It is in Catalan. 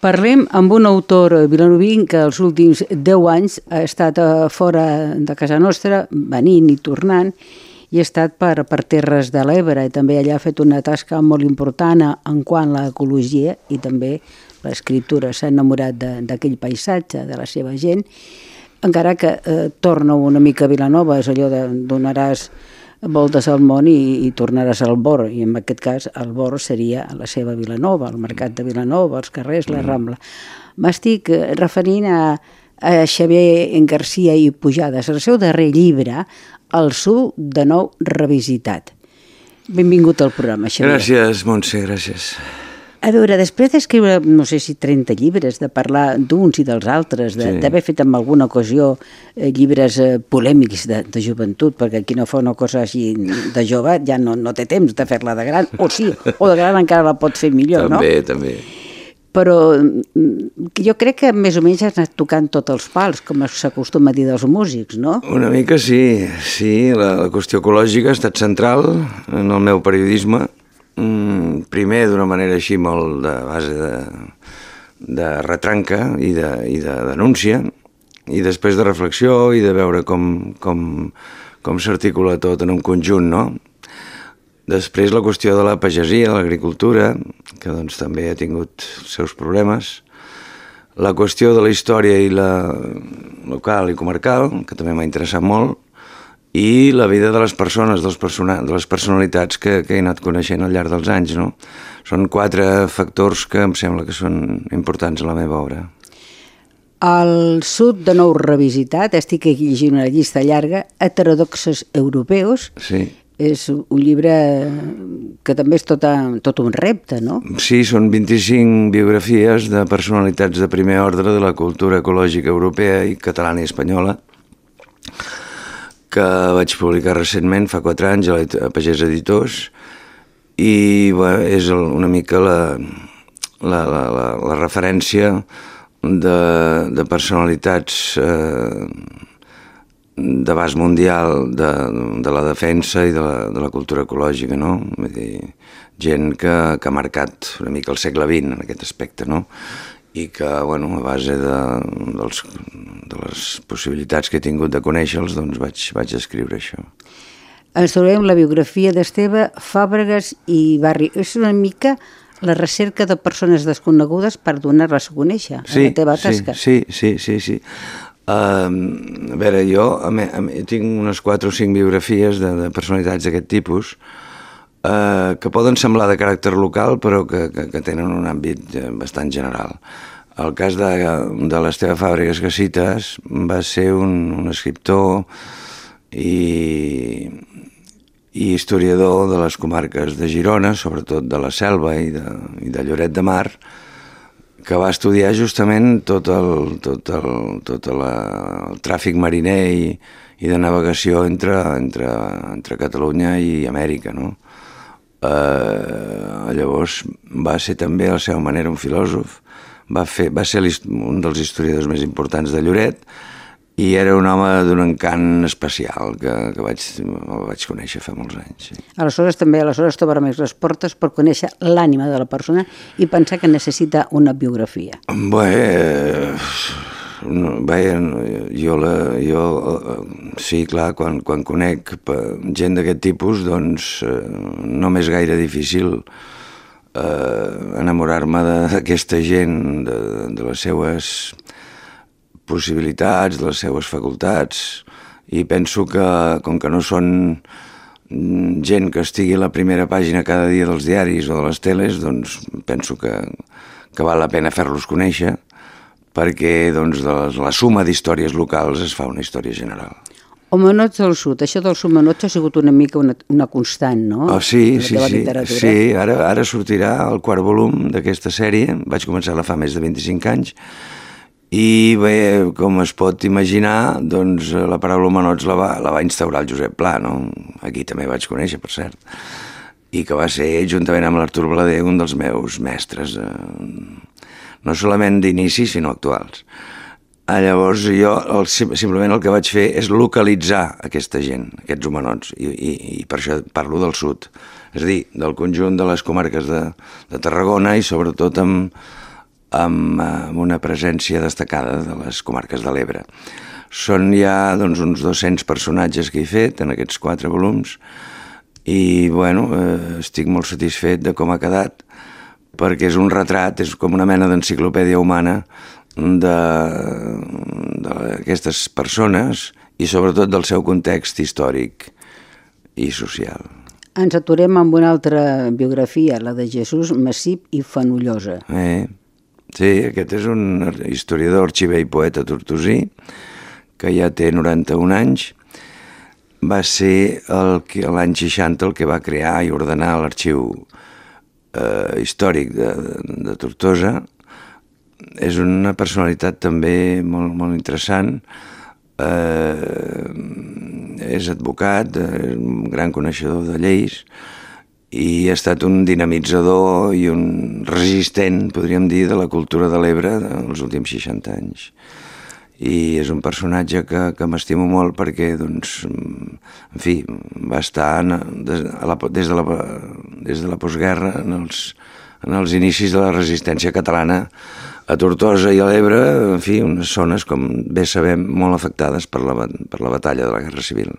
Parlem amb un autor vilanoví que els últims 10 anys ha estat fora de casa nostra, venint i tornant, i ha estat per terres de l'Ebre, i també allà ha fet una tasca molt important en quant a l'ecologia i també l'escriptura. S'ha enamorat d'aquell paisatge, de la seva gent, encara que torna una mica a Vilanova, és allò de donaràs voltes al món i tornaràs al Bor, i en aquest cas el Bor seria la seva Vilanova, el mercat de Vilanova, els carrers, la Rambla. M'estic referint a Xavier Garcia i Pujades, el seu darrer llibre, El Sud de nou revisitat. Benvingut al programa, Xavier. Gràcies, Montse, gràcies. A veure, després d'escriure, no sé si 30 llibres, de parlar d'uns i dels altres, d'haver fet en alguna ocasió llibres polèmics de joventut, perquè qui no fa una cosa així de jove ja no té temps de fer-la de gran, o sí, o de gran encara la pot fer millor, no? També. Però jo crec que més o menys has anat tocant tots els pals, com s'acostuma a dir dels músics, no? Una mica sí, la qüestió ecològica ha estat central en el meu periodisme. Primer d'una manera així molt de base de retranca i de denúncia, i després de reflexió i de veure com s'articula tot en un conjunt, no? Després la qüestió de la pagesia, de l'agricultura, que doncs també ha tingut els seus problemes, la qüestió de la història i la local i comarcal, que també m'ha interessat molt, i la vida de les persones, de les personalitats que he anat coneixent al llarg dels anys, no? Són 4 factors que em sembla que són importants a la meva obra. El Sud de nou revisitat, estic aquí llegint una llista llarga, Heterodoxes europeus. Sí. És un llibre que també és tot un repte, no? Sí, són 25 biografies de personalitats de primer ordre de la cultura ecològica europea i catalana i espanyola, que vaig publicar recentment, fa 4 anys, a Pagès Editors, i és una mica la referència de personalitats d'abast mundial de la defensa i de la cultura ecològica, no? Vull dir, gent que ha marcat una mica el segle XX en aquest aspecte, no? I que, a base de les possibilitats que he tingut de conèixer-los, doncs vaig escriure això. Ens trobem la biografia d'Esteve Fàbregas i Barri. És una mica la recerca de persones desconegudes per donar-les a conèixer, a la teva tasca. Sí. A veure, jo tinc unes 4 o 5 biografies de personalitats d'aquest tipus que poden semblar de caràcter local però que tenen un àmbit bastant general. El cas de l'Esteve Fàbregas que cites va ser un escriptor i historiador de les comarques de Girona, sobretot de la Selva i de Lloret de Mar, que va estudiar justament tot el tràfic mariner i de navegació entre Catalunya i Amèrica, no? Llavors va ser també a la seva manera un filòsof, va ser un dels historiadors més importants de Lloret i era un home d'un encant especial que vaig conèixer fa molts anys. Sí. Aleshores t'obre més les portes per conèixer l'ànima de la persona i pensar que necessita una biografia. Jo sí, clar, quan conec gent d'aquest tipus, doncs no m'és gaire difícil enamorar-me d'aquesta gent, de les seues possibilitats, de les seues facultats, i penso que, com que no són gent que estigui a la primera pàgina cada dia dels diaris o de les teles, doncs penso que val la pena fer-los conèixer, perquè doncs, de la suma d'històries locals es fa una història general. Homenots del Sud, això dels homenots ha sigut una mica una constant, no? Sí, ara sortirà el 4è volum d'aquesta sèrie, vaig començar-la fa més de 25 anys, i bé, com es pot imaginar, doncs la paraula homenots la va instaurar el Josep Pla, no? Aquí també vaig conèixer, per cert, i que va ser, juntament amb l'Artur Blader, un dels meus mestres, no solament d'inici, sinó actuals. Llavors jo simplement el que vaig fer és localitzar aquesta gent, aquests homenots, i per això parlo del sud, és a dir, del conjunt de les comarques de Tarragona i sobretot amb amb una presència destacada de les comarques de l'Ebre. Són ja uns 200 personatges que he fet en aquests 4 volums i bueno, estic molt satisfet de com ha quedat, perquè és un retrat, és com una mena d'enciclopèdia humana d'aquestes persones i sobretot del seu context històric i social. Ens aturem amb una altra biografia, la de Jesús Massip i Fenollosa. Sí, aquest és un historiador, arxiver i poeta tortosí, que ja té 91 anys. Va ser l'any 60 el que va crear i ordenar l'arxiu històric de Tortosa. És una personalitat també molt, molt interessant. És advocat, és un gran coneixedor de lleis i ha estat un dinamitzador i un resistent, podríem dir, de la cultura de l'Ebre dels últims 60 anys. I és un personatge que m'estimo molt perquè, doncs, en fi, va estar des de la postguerra en els inicis de la resistència catalana a Tortosa i a l'Ebre, en fi, unes zones, com bé sabem, molt afectades per la batalla de la Guerra Civil.